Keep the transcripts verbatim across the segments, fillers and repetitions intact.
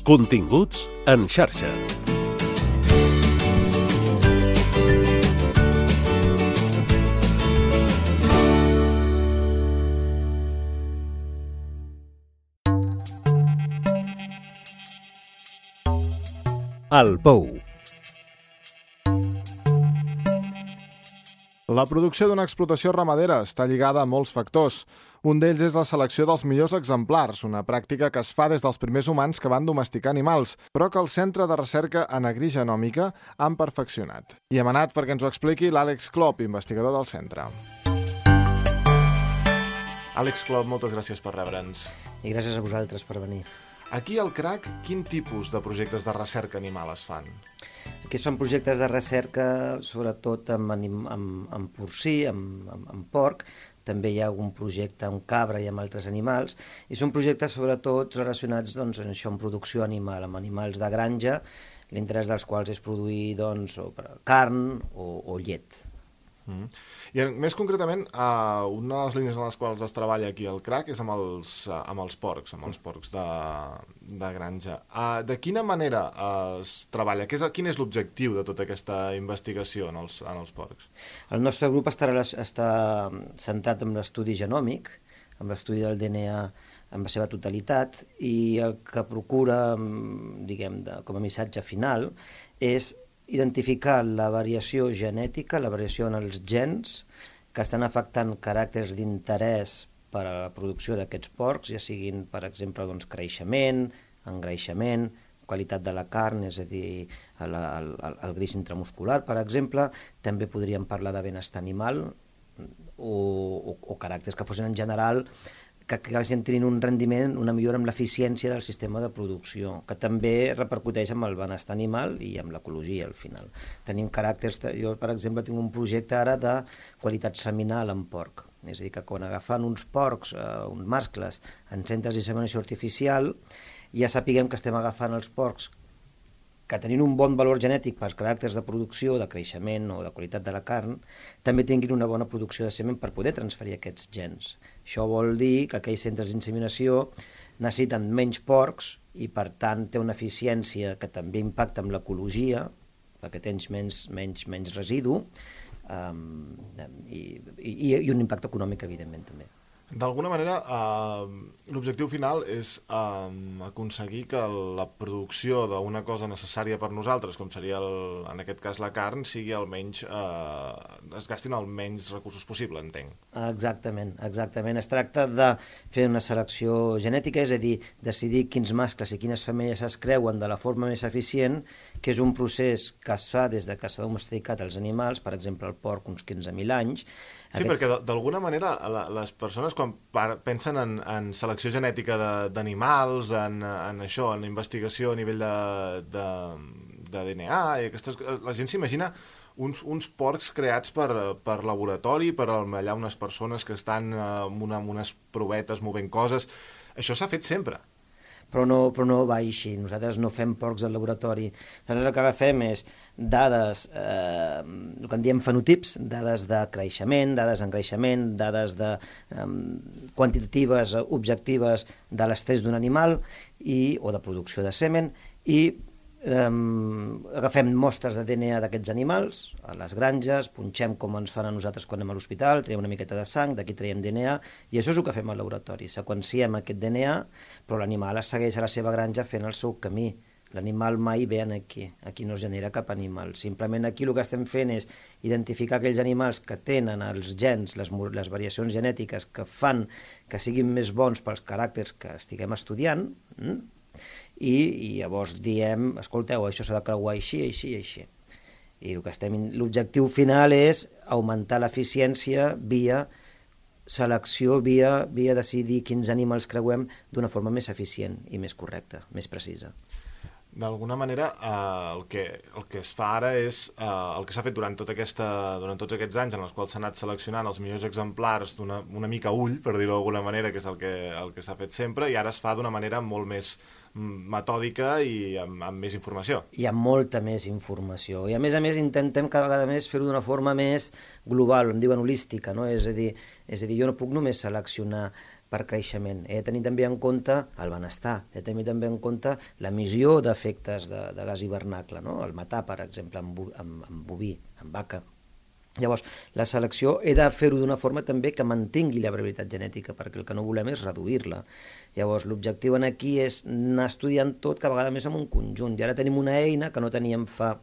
Continguts en xarxa. El Pou. La producció d'una explotació ramadera està lligada a molts factors. Un d'ells és la selecció dels millors exemplars, una pràctica que es fa des dels primers humans que van domesticar animals, però que el Centre de Recerca en Agrigenòmica han perfeccionat. I hem anat perquè ens ho expliqui l'Àlex Klopp, investigador del centre. Àlex Klopp, moltes gràcies per rebre'ns. I gràcies a vosaltres per venir. Aquí al C R A C, quin tipus de projectes de recerca animal es fan? Aquí es fan projectes de recerca, sobretot amb, anim, amb, amb porcí, amb, amb, amb porc. També hi ha algun projecte amb cabra i amb altres animals. I són projectes sobretot relacionats doncs, en això, amb producció animal, amb animals de granja, l'interès dels quals és produir doncs, o carn o, o llet. Mm. I més concretament, uh, una de les línies en les quals es treballa aquí al C R A C és amb els, uh, amb els porcs, amb els porcs de, de granja. Uh, de quina manera uh, es treballa? Què és, quin és l'objectiu de tota aquesta investigació en els, en els porcs? El nostre grup està, està centrat en l'estudi genòmic, en l'estudi del D N A en la seva totalitat, i el que procura, diguem, de, com a missatge final, és identificar la variació genètica, la variació en els gens que estan afectant caràcters d'interès per a la producció d'aquests porcs, ja siguin, per exemple, doncs, creixement, engreixament, qualitat de la carn, és a dir, el, el, el greix intramuscular, per exemple. També podríem parlar de benestar animal o, o, o caràcters que fossin en general que acabessin tenint un rendiment, una millora amb l'eficiència del sistema de producció, que també repercuteix amb el benestar animal i amb l'ecologia, al final. Tenim caràcters... Jo, per exemple, tinc un projecte ara de qualitat seminal en porc. És a dir, que quan agafant uns porcs, eh, uns mascles, en centres d'inseminació artificial, ja sapiguem que estem agafant els porcs que tenint un bon valor genètic per caràcters de producció, de creixement o de qualitat de la carn, també tinguin una bona producció de semen per poder transferir aquests gens. Això vol dir que aquells centres d'inseminació necessiten menys porcs i, per tant, té una eficiència que també impacta amb l'ecologia, perquè tens menys, menys, menys residu, um, i, i, i un impacte econòmic, evidentment, també. D'alguna manera, eh, l'objectiu final és eh, aconseguir que la producció d'una cosa necessària per nosaltres, com seria, el, en aquest cas, la carn, sigui almenys, eh, es gastin el menys recursos possible, entenc. Exactament, exactament. Es tracta de fer una selecció genètica, és a dir, decidir quins mascles i quines femelles es creuen de la forma més eficient, que és un procés que es fa des de que s'ha domesticat els animals, per exemple, el porc uns quinze mil anys. Sí, Aquests... perquè d'alguna manera les persones quan pensen en, en selecció genètica d'animals, en, en això, en investigació a nivell de, de, de D N A, i aquestes, la gent s'imagina uns, uns porcs creats per, per laboratori, per allà unes persones que estan amb, una, amb unes provetes movent coses. Això s'ha fet sempre. Però no, però no va així. Nosaltres no fem porcs al laboratori. Nosaltres el que agafem és dades, eh, el que en diem fenotips, dades de creixement, dades d'engreixament, dades de, eh, quantitatives, objectives de l'estrès d'un animal i, o de producció de semen, i Um, agafem mostres de D N A d'aquests animals a les granges, punxem com ens fan a nosaltres quan anem a l'hospital, traiem una miqueta de sang, d'aquí traiem D N A, i això és el que fem al laboratori. Seqüenciem aquest D N A, però l'animal es segueix a la seva granja fent el seu camí. L'animal mai ve aquí, aquí no es genera cap animal. Simplement aquí el que estem fent és identificar aquells animals que tenen els gens, les, les variacions genètiques que fan que siguin més bons pels caràcters que estiguem estudiant, hm? I, i llavors diem, escolteu, això s'ha de creuar així, així, així. I l'objectiu final és augmentar l'eficiència via selecció, via, via decidir quins animals creuem d'una forma més eficient i més correcta, més precisa. D'alguna manera, eh, el, que, el que es fa ara és eh, el que s'ha fet durant, tota aquesta, durant tots aquests anys en els quals s'ha anat seleccionant els millors exemplars d'una una mica ull, per dir-ho d'alguna manera, que és el que, el que s'ha fet sempre, i ara es fa d'una manera molt més metòdica i amb, amb més informació. Hi ha molta més informació. I a més a més intentem cada vegada més fer-ho d'una forma més global, em diuen holística, no? És a dir, és a dir, jo no puc només seleccionar per creixement. He de tenir també en compte el benestar, he de tenir també en compte l'emissió d'efectes de, de gas hivernacle, no? El matar, per exemple, amb, amb, amb boví, amb vaca. Llavors, la selecció he de fer-ho d'una forma també que mantingui la variabilitat genètica, perquè el que no volem és reduir-la. Llavors, l'objectiu aquí és anar estudiant tot cada vegada més en un conjunt. I ara tenim una eina que no teníem fa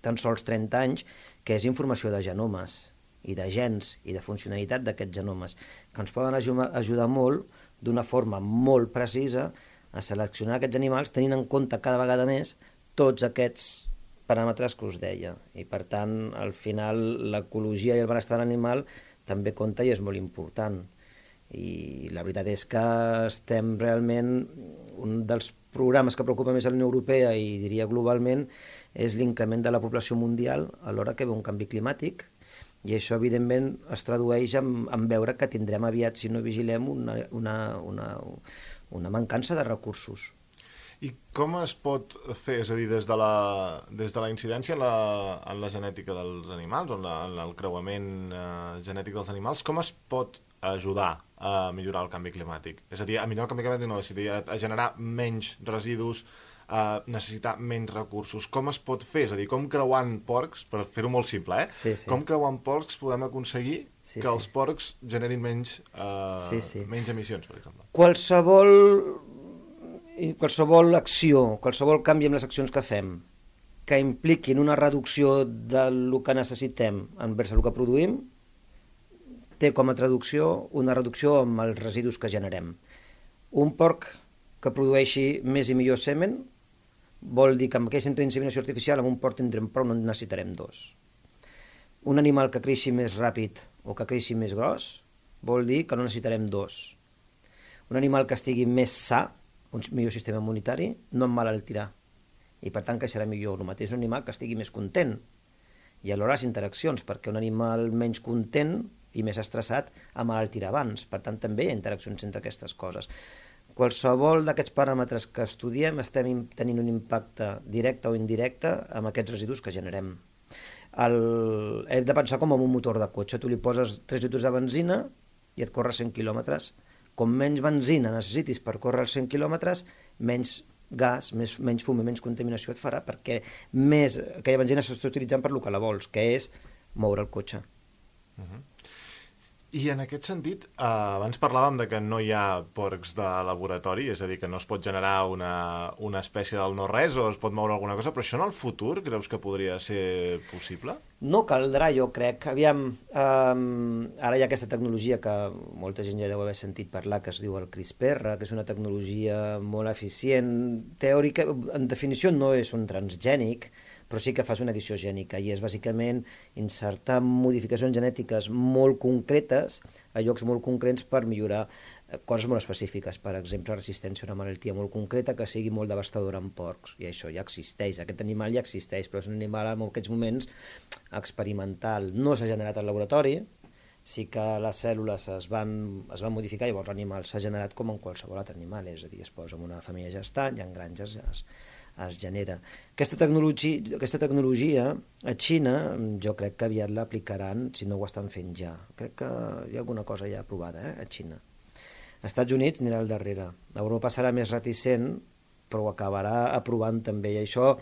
tan sols trenta anys, que és informació de genomes i de gens i de funcionalitat d'aquests genomes, que ens poden ajudar molt, d'una forma molt precisa, a seleccionar aquests animals tenint en compte cada vegada més tots aquests paràmetres que us deia. I per tant, al final, l'ecologia i el benestar animal també compta i és molt important. I la veritat és que estem realment... Un dels programes que preocupa més a la Unió Europea i diria globalment és l'increment de la població mundial alhora que ve un canvi climàtic, i això evidentment es tradueix en, en veure que tindrem aviat, si no vigilem, una, una, una, una mancança de recursos. I com es pot fer, és a dir, des de la, des de la incidència en la, en la genètica dels animals, o en, la, en el creuament eh, genètic dels animals, com es pot ajudar a millorar el canvi climàtic? És a dir, a millorar el canvi climàtic no, és a dir, a, a generar menys residus, a necessitar menys recursos. Com es pot fer? És a dir, com creuant porcs, per fer-ho molt simple, eh? Sí, sí. Com creuant porcs podem aconseguir sí, que sí. els porcs generin menys, eh, sí, sí. menys emissions, per exemple? Qualsevol, qualsevol acció, qualsevol canvi en les accions que fem, que impliquin una reducció del que necessitem envers el que produïm, té com a traducció una reducció amb els residus que generem. Un porc que produeixi més i millor semen vol dir que amb aquesta inseminació artificial amb un porc tindrem prou, no en necessitarem dos. Un animal que creixi més ràpid o que creixi més gros vol dir que no necessitarem dos. Un animal que estigui més sa, un millor sistema immunitari, no emmalaltirà i per tant creixerà millor. El mateix un animal que estigui més content, i alhora les interaccions, perquè un animal menys content i més estressat emmalaltirà abans. Per tant, també hi ha interaccions entre aquestes coses. Qualsevol d'aquests paràmetres que estudiem estem tenint un impacte directe o indirecte amb aquests residus que generem. El... Hem de pensar com en un motor de cotxe. Tu li poses tres litres de benzina i et corre cent quilòmetres. Com menys benzina necessitis per córrer els cent quilòmetres, menys gas, més, menys fum i menys contaminació et farà, perquè més aquella benzina s'està utilitzant per lo que la vols, que és moure el cotxe. Uh-huh. I en aquest sentit, eh, abans parlàvem de que no hi ha porcs de laboratori, és a dir, que no es pot generar una, una espècie del no-res o es pot moure alguna cosa, però això en el futur creus que podria ser possible? No caldrà, jo crec. Aviam, eh, ara hi ha aquesta tecnologia que molta gent ja deu haver sentit parlar, que es diu el CRISPR, que és una tecnologia molt eficient. Teòrica, en definició no és un transgènic, però sí que fas una edició gènica i és bàsicament insertar modificacions genètiques molt concretes a llocs molt concrets per millorar coses molt específiques, per exemple, resistència a una malaltia molt concreta que sigui molt devastadora en porcs, i això ja existeix, aquest animal ja existeix, però és un animal en aquests moments experimental, no s'ha generat al laboratori, sí que les cèl·lules es van, es van modificar i llavors l'animal s'ha generat com en qualsevol altre animal, és a dir, es posa en una família gestant i en granges es, es genera. Aquesta tecnologia, aquesta tecnologia a Xina jo crec que aviat l'aplicaran, si no ho estan fent ja. Crec que hi ha alguna cosa ja aprovada eh, a Xina. Als Estats Units anirà al darrere. Europa serà més reticent, però ho acabarà aprovant també. I això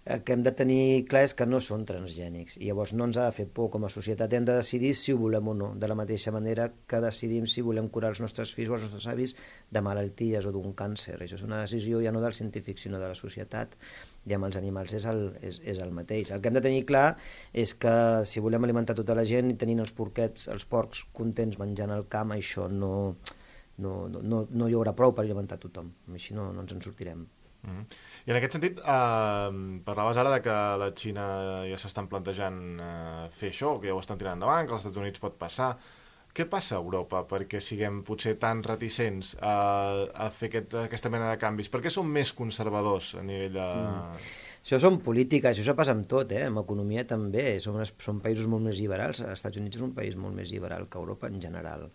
el que hem de tenir clar és que no són transgènics. I llavors no ens ha de fer por com a societat. Hem de decidir si ho volem o no. De la mateixa manera que decidim si volem curar els nostres fills o els nostres avis de malalties o d'un càncer. Això és una decisió ja no del científic, sinó de la societat. I amb els animals és el, és, és el mateix. El que hem de tenir clar és que si volem alimentar tota la gent i tenint els porquets, els porcs contents menjant al camp, això no... No, no, no hi haurà prou per alimentar tothom, així no, no ens en sortirem. Mm-hmm. I en aquest sentit, eh, parlaves ara de que a la Xina ja s'estan plantejant eh, fer això, que ja ho estan tirant endavant, que als Estats Units pot passar. Què passa a Europa perquè siguem potser tan reticents a, a fer aquest, aquesta mena de canvis? Per què som més conservadors a nivell de... Mm. Això són polítiques, això passa amb tot, eh? Amb economia també, som, són països molt més liberals, els Estats Units és un país molt més liberal que Europa en general,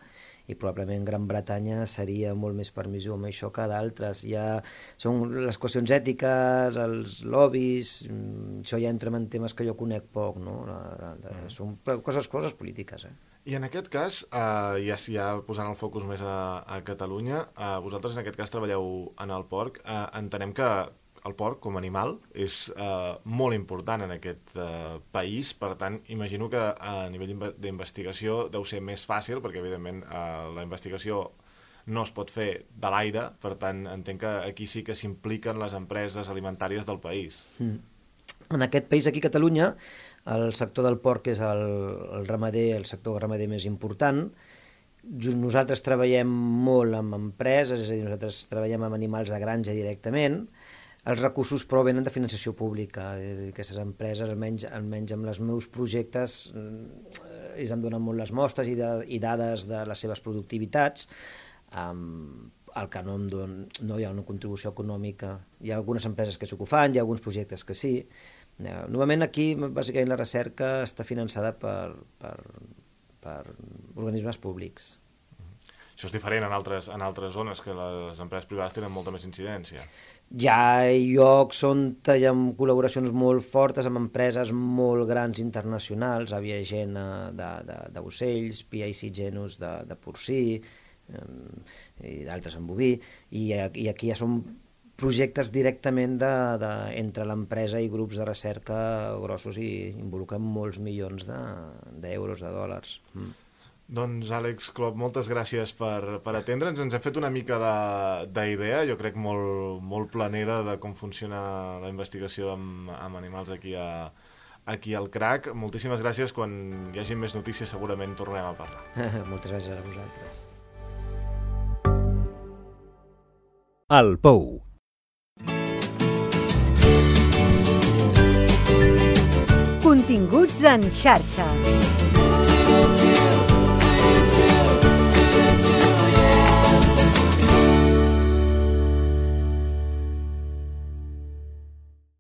i probablement Gran Bretanya seria molt més permissiu amb això que d'altres. Ja són les qüestions ètiques, els lobbies, això ja entrem en temes que jo conec poc, no? Són coses, coses polítiques, eh? I en aquest cas, eh, ja, ja posant el focus més a, a Catalunya, eh, vosaltres en aquest cas treballeu en el porc. Eh, entenem que el porc, com a animal, és eh, molt important en aquest eh, país, per tant, imagino que a nivell d'investigació deu ser més fàcil, perquè evidentment eh, la investigació no es pot fer de l'aire, per tant, entenc que aquí sí que s'impliquen les empreses alimentàries del país. Mm. En aquest país, aquí a Catalunya, el sector del porc és el, el ramader, el sector ramader més important. Nosaltres treballem molt amb empreses, és a dir, nosaltres treballem amb animals de granja directament. Els recursos però venen de financiació pública. Aquestes empreses, almenys, almenys amb els meus projectes, ells em donen molt les mostres i, de, i dades de les seves productivitats. Um, el que no, em don, no hi ha una contribució econòmica. Hi ha algunes empreses que sí que ho fan, hi ha alguns projectes que sí. Novament aquí, bàsicament, la recerca està finançada per, per, per organismes públics. Això és diferent en altres, en altres zones, que les empreses privades tenen molta més incidència. Hi ha llocs on hi ha col·laboracions molt fortes amb empreses molt grans internacionals, Aviagena d'ocells, P I C Genus de, de porcí, i d'altres en boví, i, i aquí ja són projectes directament de, de, entre l'empresa i grups de recerca grossos i involucren molts milions d'euros, de, de dòlars. Mm. Doncs, Àlex Clop, moltes gràcies per, per atendre'ns. Ens hem fet una mica d'idea, jo crec molt, molt planera, de com funciona la investigació amb, amb animals aquí, a, aquí al C R A C. Moltíssimes gràcies. Quan hi hagi més notícies segurament tornem a parlar. Moltes gràcies a vosaltres. El Pou. Continguts en xarxa.